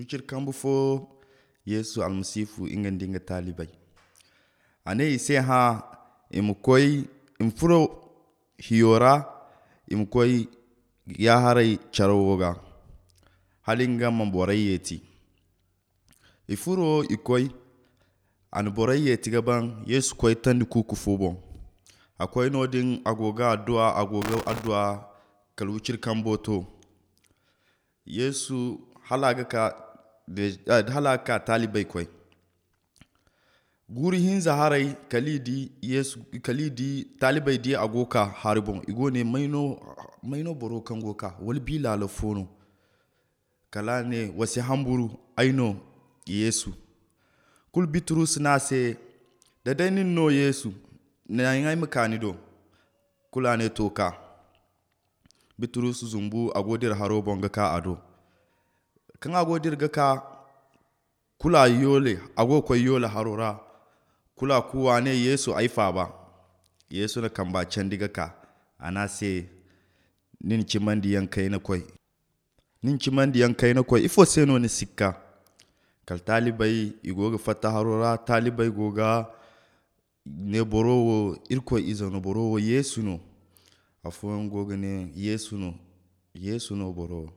Uchir kambu fo Yesu almasifu inga dinga talibai. Ane ise ha imukoi imfuro hiyora imukoi yaharai charawoga. Halinga mamborai yeti. Ifuro ikoi an borai yeti gaban Yesu koi tandi kuku fubo. Akwai nodin agoga adua kalwuchir kambo to. Yesu halaga ka talibai koi. Guri hinza harai kalidi talibai di agoka haribon igone maino boro kangoka walbi lala fono. Kala ne wasi hamburu aino Yesu. Kul Bitrus nase dadainin no Yesu na ngai makanido kula ne toka. Bitrus zumbu agodir harobon gaka ado. Kan agodir gaka kula yole agoko yole harora kula kuwa ne Yesu aifa ba. Yesu na kamba candi gaka anase nin chimandi yankai na koi. Nin chimandi yankai na koi ifo seno ni sikka. Kal talibai igoga fata harora talibai goga ne borowo irko izano borowo Yesu no. Afo ngoga ne Yesu no borowo.